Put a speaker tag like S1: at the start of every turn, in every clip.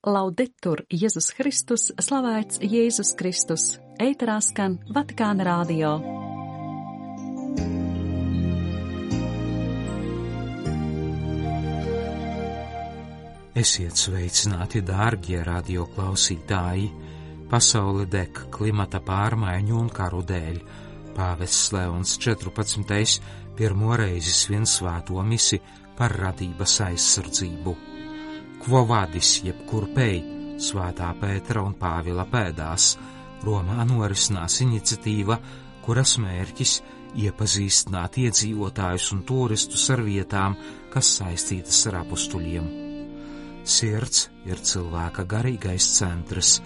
S1: Laudetur Jēzus Kristus, slavēts Jēzus Kristus, ēterā skan Vatikāna radio.
S2: Esiet sveicināti, dārgie radio klausītāji! Pasaule deg klimata pārmaiņu un karu dēļ. Pāvests Leons 14. pirmo reizi svin svēto misi par radības aizsardzību. Quo vadis jeb kurpei, Svētā Pētera un Pāvila pēdās, Romā norisinās iniciatīva, kuras mērķis iepazīstināt iedzīvotājus un turistus ar vietām, kas saistītas ar apustuļiem. Sirds ir cilvēka garīgais centrs,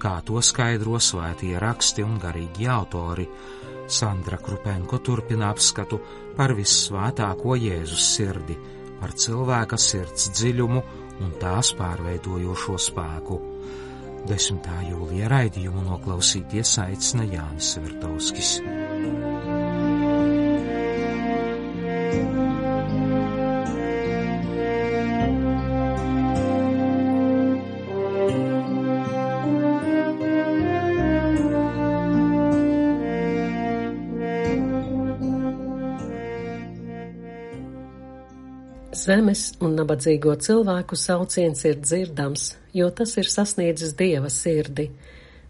S2: kā to skaidro svētie raksti un garīgi autori. Sandra Krupenko turpina apskatu par vissvētāko Jēzus sirdi, par cilvēka sirds dziļumu un tās pārveidojošo spēku. 10. jūlija raidījumu noklausīties aicina Jānis Vertovskis.
S3: Zemes un nabadzīgo cilvēku sauciens ir dzirdams, jo tas ir sasniedzis Dieva sirdi,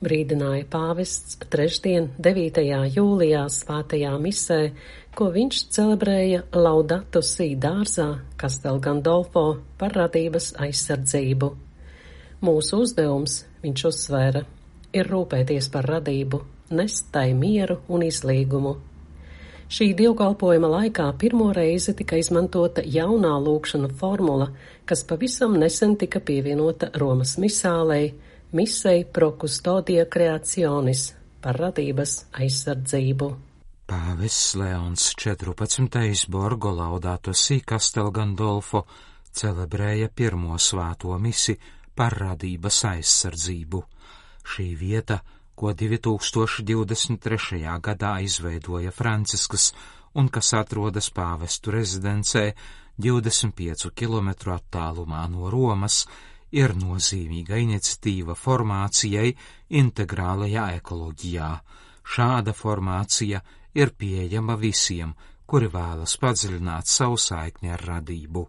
S3: brīdināja pāvests trešdien, 9. jūlijā svētajā misē, ko viņš celebrēja Laudato Si dārzā Castel Gandolfo par radības aizsardzību. Mūsu uzdevums, viņš uzsvēra, ir rūpēties par radību, nest tai mieru un izlīgumu. Šī dievkalpojuma laikā pirmo reizi tika izmantota jaunā lūgšana formula, kas pavisam nesen tika pievienota Romas misālei Misei pro custodia creationis par radības aizsardzību.
S2: Pāvests Leons 14. Borgo Laudato Si Castel Gandolfo celebrēja pirmo svēto misi par radības aizsardzību. Šī vieta, ko 2023. gadā izveidoja Franciskas un kas atrodas pāvestu rezidencē 25 kilometru attālumā no Romas, ir nozīmīga iniciatīva formācijai integrālajā ekoloģijā. Šāda formācija ir pieejama visiem, kuri vēlas padziļināt savu saikni ar radību.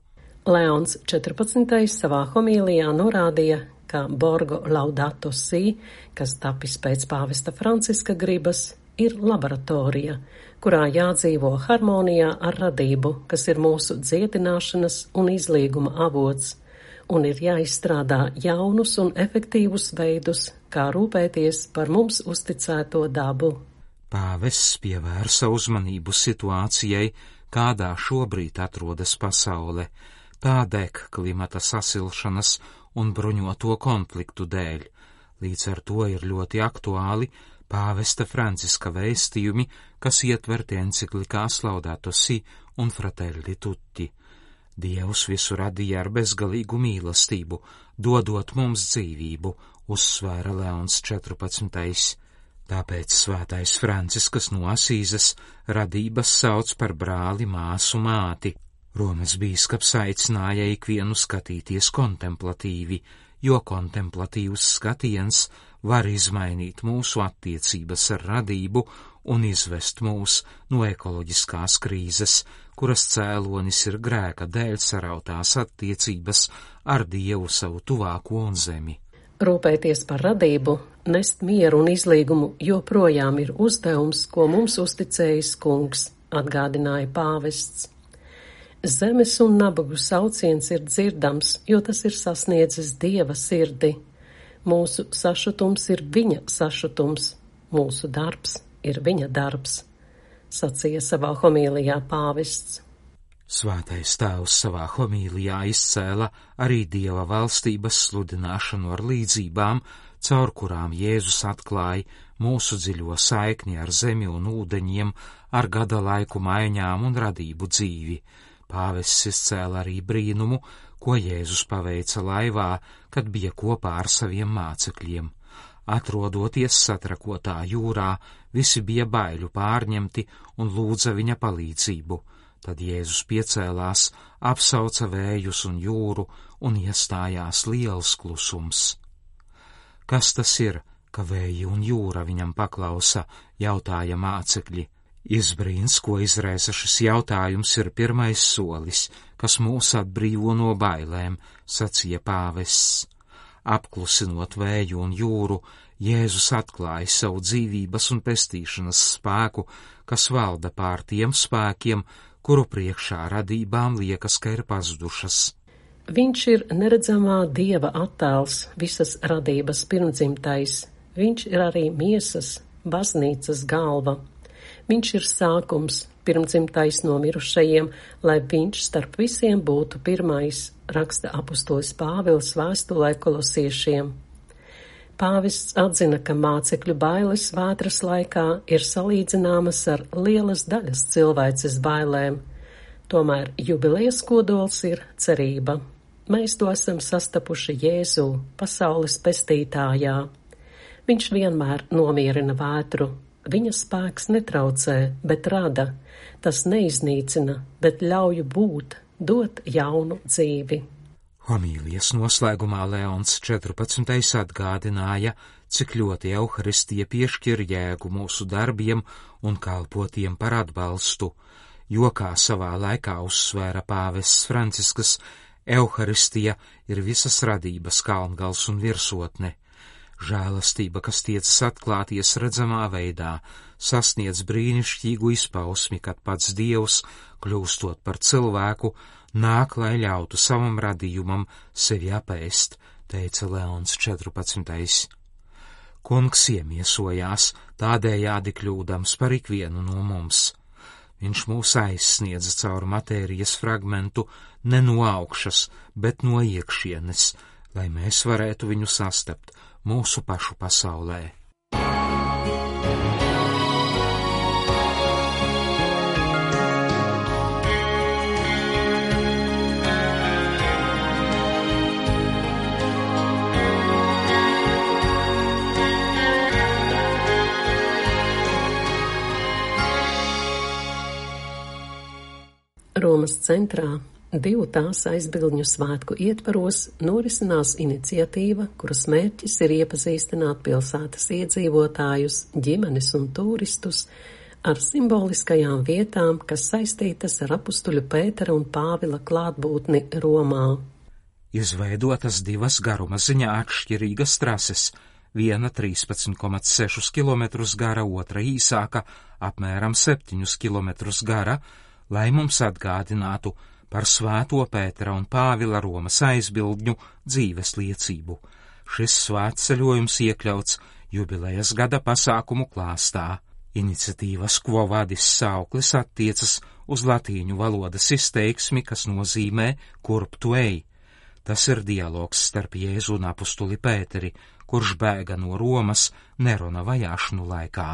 S3: Leons 14. savā homīlijā norādīja, ka Borgo Laudato Si, kas tapis pēc pāvesta Franciska gribas, ir laboratorija, kurā jādzīvo harmonijā ar radību, kas ir mūsu dziedināšanas un izlīguma avots, un ir jāizstrādā jaunus un efektīvus veidus, kā rūpēties par mums uzticēto dabu.
S2: Pāvests pievērsa uzmanību situācijai, kādā šobrīd atrodas pasaule, tā deg klimata sasilšanas un bruņoto konfliktu dēļ. Līdz ar to ir ļoti aktuāli pāvesta Franciska vēstījumi, kas ietverti enciklikās Laudato Si un Fratelli Tutti. Dievs visu radīja ar bezgalīgu mīlestību, dodot mums dzīvību, uzsvēra Leons 14. Tāpēc svētais Franciskas no Asīzes radības sauc par brāli, māsu, māti. Romas bīskaps aicināja ikvienu skatīties kontemplatīvi, jo kontemplatīvs skatiens var izmainīt mūsu attiecības ar radību un izvest mūs no ekoloģiskās krīzes, kuras cēlonis ir grēka dēļ sarautās attiecības ar Dievu savu tuvāko un zemi.
S3: Rūpēties par radību, nest mieru un izlīgumu joprojām ir uzdevums, ko mums uzticējis kungs, atgādināja pāvests. Zemes un nabagu sauciens ir dzirdams, jo tas ir sasniedzis Dieva sirdi. Mūsu sašutums ir viņa sašutums, mūsu darbs ir viņa darbs, sacīja savā homīlijā pāvests.
S2: Svētais tēvs savā homīlijā izcēla arī Dieva valstības sludināšanu ar līdzībām, caur kurām Jēzus atklāja mūsu dziļo saikni ar zemi un ūdeņiem, ar gada laiku maiņām un radību dzīvi. Pāvests izcēla arī brīnumu, ko Jēzus paveica laivā, kad bija kopā ar saviem mācekļiem. Atrodoties satrakotā jūrā, visi bija baiļu pārņemti un lūdza viņa palīdzību. Tad Jēzus piecēlās, apsauca vējus un jūru, un iestājās liels klusums. Kas tas ir, ka vēji un jūra viņam paklausa, jautāja mācekļi. Izbrīns, ko izraisa šis jautājums, ir pirmais solis, kas mūs atbrīvo no bailēm, sacīja pāvests. Apklusinot vēju un jūru, Jēzus atklāja savu dzīvības un pestīšanas spēku, kas valda pār tiem spēkiem, kuru priekšā radībām liekas, ka ir pazudušas.
S3: Viņš ir neredzamā Dieva attēls, visas radības pirmdzimtais. Viņš ir arī miesas, baznīcas galva. Viņš ir sākums, pirmdzimtais no mirušajiem, lai viņš starp visiem būtu pirmais, raksta apustulis Pāvils vēstulē Kolosiešiem. Pāvests atzina, ka mācekļu bailes vētras laikā ir salīdzināmas ar lielas daļas cilvēces bailēm. Tomēr jubilejas kodols ir cerība. Mēs to esam sastapuši Jēzū, pasaules pestītājā. Viņš vienmēr nomierina vētru. Viņa spēks netraucē, bet rada. Tas neiznīcina, bet ļauj būt, dot jaunu dzīvi.
S2: Homīlijas noslēgumā Leons 14. atgādināja, cik ļoti Euharistija piešķir jēgu mūsu darbiem un kalpotiem par atbalstu, jo, kā savā laikā uzsvēra pāvests Francisks, Euharistija ir visas radības kalngals un virsotne. Žēlastība, kas tiecas atklāties redzamā veidā, sasniedz brīnišķīgu izpausmi, kad pats Dievs, kļūstot par cilvēku, nāk, lai ļautu savam radījumam sevi apēst, teica Leons 14. Kungs iemiesojās, tādējādi kļūdams par ikvienu no mums. Viņš mūs aizsniedza caur matērijas fragmentu ne no augšas, bet no iekšienes, lai mēs varētu viņu sastapt mūsu pašu pasaulē.
S3: Romas centrā 2 tās aizbildņu svētku ietvaros norisinās iniciatīva, kuras mērķis ir iepazīstināt pilsētas iedzīvotājus, ģimenes un turistus ar simboliskajām vietām, kas saistītas ar apustuļu Pētera un Pāvila klātbūtni Romā.
S2: Izveidotas 2 garuma ziņā atšķirīgas trases, viena 13,6 km gara, otra īsāka, apmēram 7 km gara, lai mums atgādinātu par Svēto Pētera un Pāvila Romas aizbildņu dzīves liecību. Šis svētceļojums iekļauts jubilejas gada pasākumu klāstā. Iniciatīvas Quo Vadis sauklis attiecas uz latīņu valodas izteiksmi, kas nozīmē kurp tu ej. Tas ir dialogs starp Jēzu un apustuli Pēteri, kurš bēga no Romas Nerona vajāšanu laikā.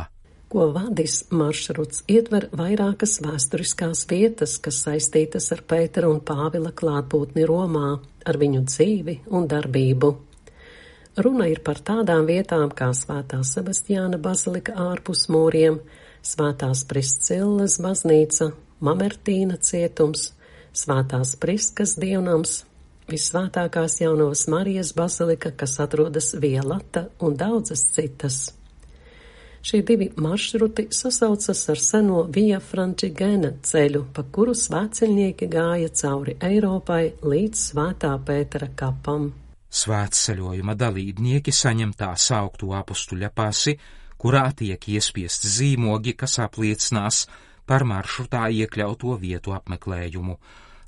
S3: Quo Vadis maršruts ietver vairākas vēsturiskās vietas, kas saistītas ar Pētera un Pāvila klātbūtni Romā, ar viņu dzīvi un darbību. Runa ir par tādām vietām kā Svētā Sebastiāna bazilika ārpus mūriem, Svētās Priscillas baznīca, Mamertīna cietums, Svētās Priskas dievnams, Visvētākās Jaunavas Marijas bazilika, kas atrodas Via Lata un daudzas citas. Šie 2 maršruti sasaucas ar seno Via Francigena ceļu, pa kuru svētceļnieki gāja cauri Eiropai līdz Svētā Pētera kapam.
S2: Svētceļojuma dalībnieki saņem tā saukto apustuļa pasi, kurā tiek iespiesti zīmogi, kas apliecinās par maršrutā iekļauto vietu apmeklējumu.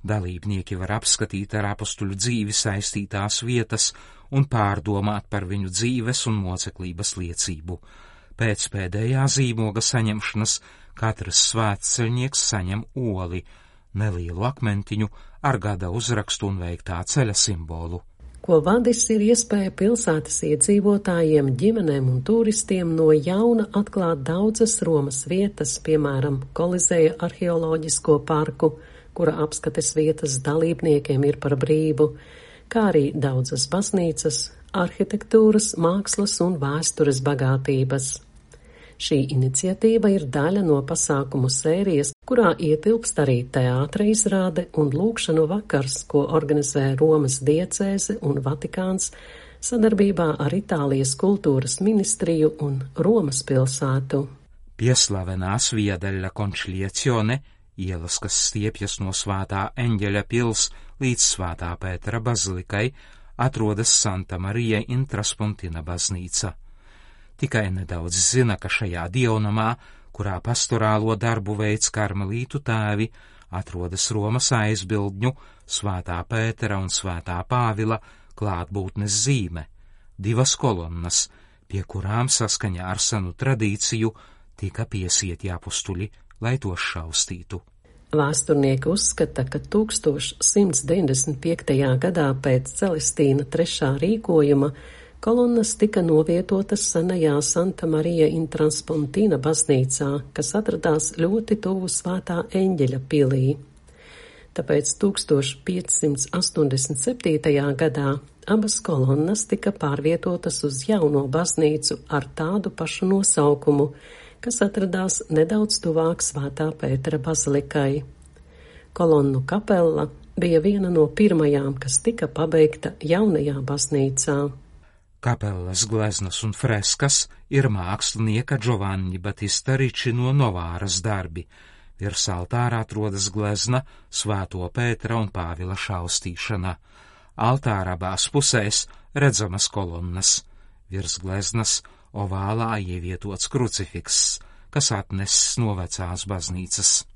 S2: Dalībnieki var apskatīt ar apustuļu dzīvi saistītās vietas un pārdomāt par viņu dzīves un moceklības liecību. Pēc pēdējā zīmoga saņemšanas katrs svētceļnieks saņem oli, nelielu akmentiņu ar gada uzrakstu un veiktā ceļa simbolu.
S3: Quo Vadis ir iespēja pilsētas iedzīvotājiem, ģimenēm un turistiem no jauna atklāt daudzas Romas vietas, piemēram, Kolizeja arheoloģisko parku, kura apskates vietas dalībniekiem ir par brīvu, kā arī daudzas baznīcas, arhitektūras, mākslas un vēstures bagātības. Šī iniciatīva ir daļa no pasākumu sērijas, kurā ietilpst arī teātra izrāde un lūgšanu vakars, ko organizē Romas diecēze un Vatikāns sadarbībā ar Itālijas kultūras ministriju un Romas pilsētu.
S2: Pieslavenās Via della Conciliazione, ielas, kas stiepjas no Svētā Eņģeļa pils līdz Svētā Pētera bazilikai, atrodas Santa Marija in Traspontina baznīca. Tikai nedaudz zina, ka šajā dievnamā, kurā pastorālo darbu veids karmelītu tēvi, atrodas Romas aizbildņu, Svētā Pētera un Svētā Pāvila klātbūtnes zīme, 2 kolonnas, pie kurām saskaņā ar senu tradīciju tika piesieti apustuļi, lai tos šaustītu.
S3: Vēsturnieki uzskata, ka 1195. gadā pēc Celestīna III rīkojuma kolonnas tika novietotas senajā Santa Marija in Traspontina baznīcā, kas atradās ļoti tuvu Svētā Eņģeļa pilī. Tāpēc 1587. gadā abas kolonnas tika pārvietotas uz jauno baznīcu ar tādu pašu nosaukumu, kas atradās nedaudz tuvāk Svētā Pētera bazilikai. Kolonnu kapella bija viena no pirmajām, kas tika pabeigta jaunajā baznīcā.
S2: Kapellas gleznas un freskas ir mākslinieka Giovanni Battista Ricci no Novāras darbi. Virs altāra atrodas glezna Svēto Pētera un Pāvila šaustīšana. Altāra abās pusēs redzamas kolonnas. Virs gleznas ovālā ievietots krucifiks, kas atnesis no vecās baznīcas.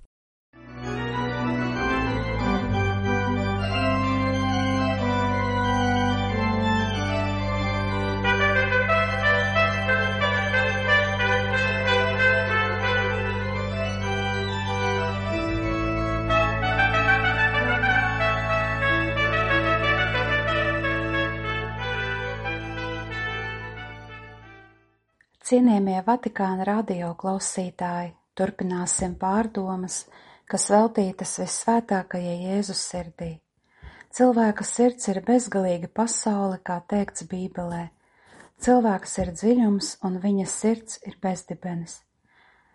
S4: Cienījamie Vatikāna radio klausītāji, turpināsim pārdomas, kas veltītas Vissvētākajai Jēzus sirdī. Cilvēka sirds ir bezgalīga pasaule, kā teikts Bībelē. Cilvēks ir dziļums un viņa sirds ir bezdibenis.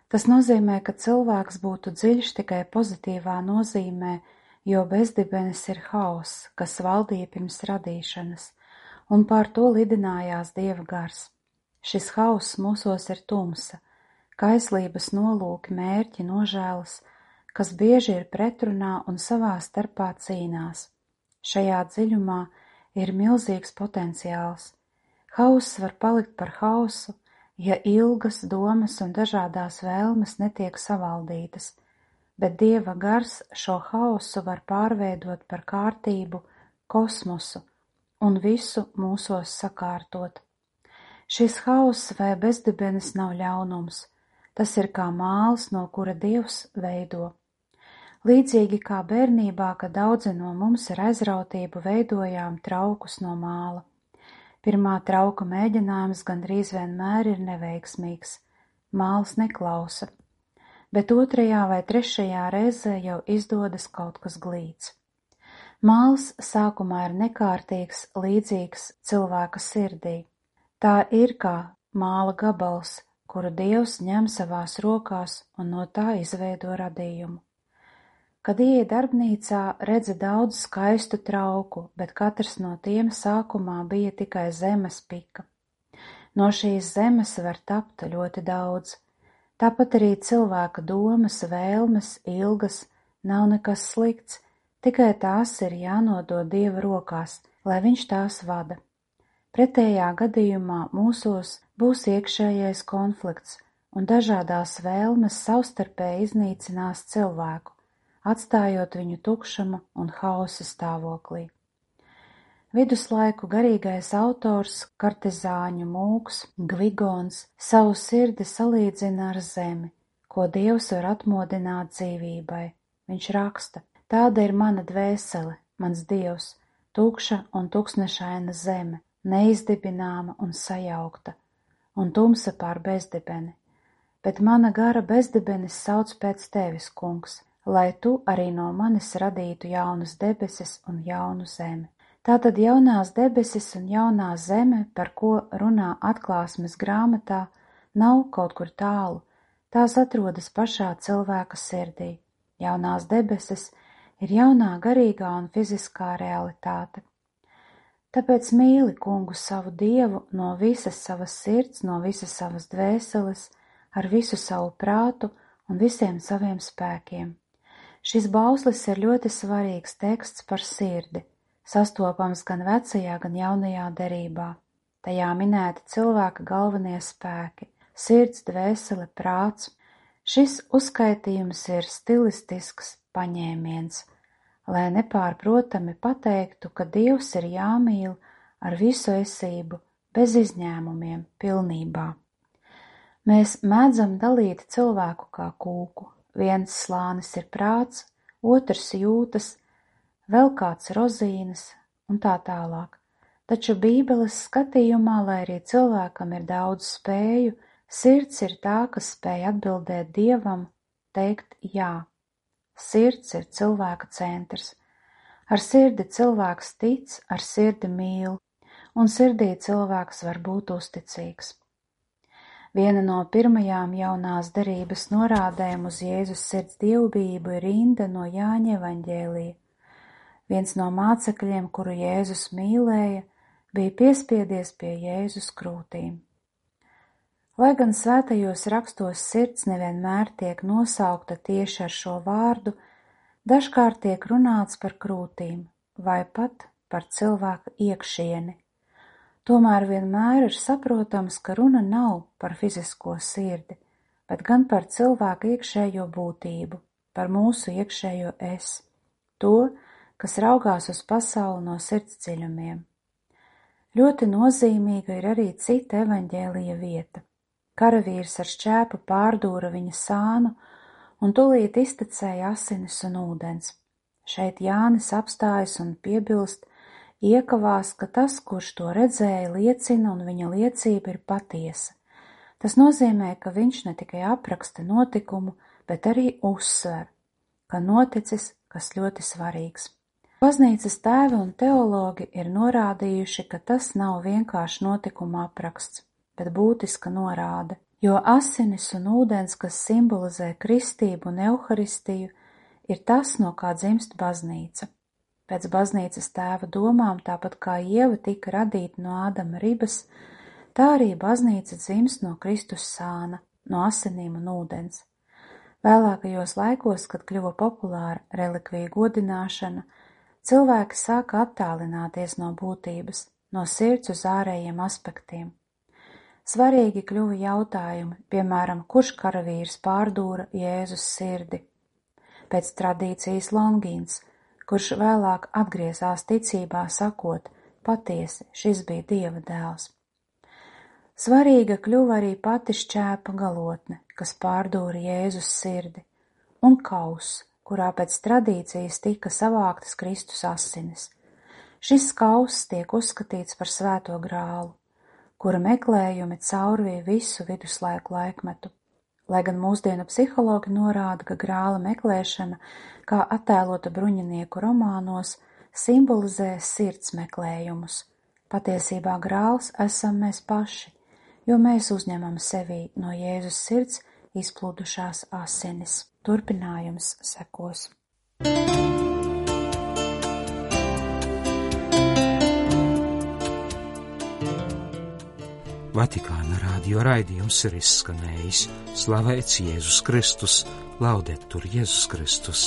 S4: Tas nozīmē, ka cilvēks būtu dziļš tikai pozitīvā nozīmē, jo bezdibenis ir hauss, kas valdīja pirms radīšanas, un pār to lidinājās Dieva gars. Šis hauss mūsos ir tumsa, kaislības nolūki, mērķi, nožēlas, kas bieži ir pretrunā un savā starpā cīnās. Šajā dziļumā ir milzīgs potenciāls. Hauss var palikt par hausu, ja ilgas domas un dažādās vēlmes netiek savaldītas, bet Dieva gars šo hausu var pārveidot par kārtību, kosmosu un visu mūsos sakārtot. Šis hauss vai bezdibenis nav ļaunums, tas ir kā māls, no kura Dievs veido. Līdzīgi kā bērnībā, kad daudzi no mums ar aizrautību veidojām traukus no māla. Pirmā trauka mēģinājums gandrīz vienmēr ir neveiksmīgs, māls neklausa, bet otrajā vai trešajā reizē jau izdodas kaut kas glīts. Māls sākumā ir nekārtīgs, līdzīgs cilvēka sirdī. Tā ir kā māla gabals, kuru Dievs ņem savās rokās un no tā izveido radījumu. Kad ieej darbnīcā, redzi daudz skaistu trauku, bet katrs no tiem sākumā bija tikai zemes pika. No šīs zemes var tapt ļoti daudz. Tāpat arī cilvēka domas, vēlmes, ilgas nav nekas slikts, tikai tās ir jānodod Dieva rokās, lai viņš tās vada. Pretējā gadījumā mūsos būs iekšējais konflikts, un dažādās vēlmes savstarpēji iznīcinās cilvēku, atstājot viņu tukšuma un hausa stāvoklī. Viduslaiku garīgais autors, kartizāņu mūks, Gvigons, savu sirdi salīdzina ar zemi, ko Dievs var atmodināt dzīvībai. Viņš raksta: tāda ir mana dvēsele, mans Dievs, tukša un tuksnešaina zeme, neizdibināma un sajaukta, un tumsa pār bezdibeni. Bet mana gara bezdibenis sauc pēc tevis, kungs, lai tu arī no manis radītu jaunas debesis un jaunu zemi. Tātad jaunās debesis un jaunā zeme, par ko runā Atklāsmes grāmatā, nav kaut kur tālu, tās atrodas pašā cilvēka sirdī, Jaunās debesis ir jaunā garīgā un fiziskā realitāte. Tāpēc mīli Kungu savu Dievu no visas savas sirds, no visas savas dvēseles, ar visu savu prātu un visiem saviem spēkiem. Šis bauslis ir ļoti svarīgs teksts par sirdi, sastopams gan vecajā, gan jaunajā derībā. Tajā minēti cilvēka galvenie spēki – sirds, dvēsele, prāts. Šis uzskaitījums ir stilistisks paņēmiens, lai nepārprotami pateiktu, ka Dievs ir jāmīl ar visu esību, bez izņēmumiem, pilnībā. Mēs mēdzam dalīt cilvēku kā kūku. Viens slānis ir prāts, otrs jūtas, vēl kāds rozīnes un tā tālāk. Taču Bībeles skatījumā, lai arī cilvēkam ir daudz spēju, sirds ir tā, kas spēj atbildēt Dievam, teikt jā. Sirds ir cilvēka centrs. Ar sirdi cilvēks tic, ar sirdi mīl, un sirdī cilvēks var būt uzticīgs. Viena no pirmajām jaunās derības norādēm uz Jēzus sirds dievbijību ir rinda no Jāņa evaņģēlija. Viens no mācekļiem, kuru Jēzus mīlēja, bija piespiedies pie Jēzus krūtīm. Lai gan svētajos rakstos sirds nevienmēr tiek nosaukta tieši ar šo vārdu, dažkārt tiek runāts par krūtīm vai pat par cilvēka iekšieni. Tomēr vienmēr ir saprotams, ka runa nav par fizisko sirdi, bet gan par cilvēka iekšējo būtību, par mūsu iekšējo es, to, kas raugās uz pasauli no sirds dziļumiem. Ļoti nozīmīga ir arī cita evaņģēlija vieta. Karavīrs ar šķēpu pārdūra viņa sānu un tūlīt iztecēja asinis un ūdens. Šeit Jānis apstājas un piebilst, iekavās, ka tas, kurš to redzēja, liecina un viņa liecība ir patiesa. Tas nozīmē, ka viņš ne tikai apraksta notikumu, bet arī uzsver, ka noticis kas ļoti svarīgs. Baznīcas tēvi un teologi ir norādījuši, ka tas nav vienkārši notikuma apraksts, bet būtiska norāde, jo asinis un ūdens, kas simbolizē kristību un euharistiju, ir tas, no kā dzimst baznīca. Pēc baznīcas tēva domām, tāpat kā Ieva tika radīta no Ādama ribas, tā arī baznīca dzimst no Kristus sāna, no asinīm un ūdens. Vēlākajos laikos, kad kļuva populāra relikviju godināšana, cilvēki sāka attālināties no būtības, no sirds uz ārējiem aspektiem. Svarīgi kļuva jautājumi, piemēram, kurš karavīrs pārdūra Jēzus sirdi. Pēc tradīcijas Longīns, kurš vēlāk atgriezās ticībā sakot, patiesi, šis bija Dieva dēls. Svarīga kļuva arī pati šķēpa galotne, kas pārdūra Jēzus sirdi, un kauss, kurā pēc tradīcijas tika savāktas Kristus asinis. Šis kauss tiek uzskatīts par svēto grālu, kura meklējumi caurvīja visu viduslaiku laikmetu. Lai gan mūsdienu psihologi norāda, ka grāla meklēšana, kā attēlota bruņinieku romānos, simbolizē sirds meklējumus. Patiesībā grāls esam mēs paši, jo mēs uzņemam sevī no Jēzus sirds izplūdušās asinis. Turpinājums sekos.
S2: Vatikāna radio raidījums ir izskanējis. Slavēts Jēzus Kristus, laudetur Jēzus Kristus.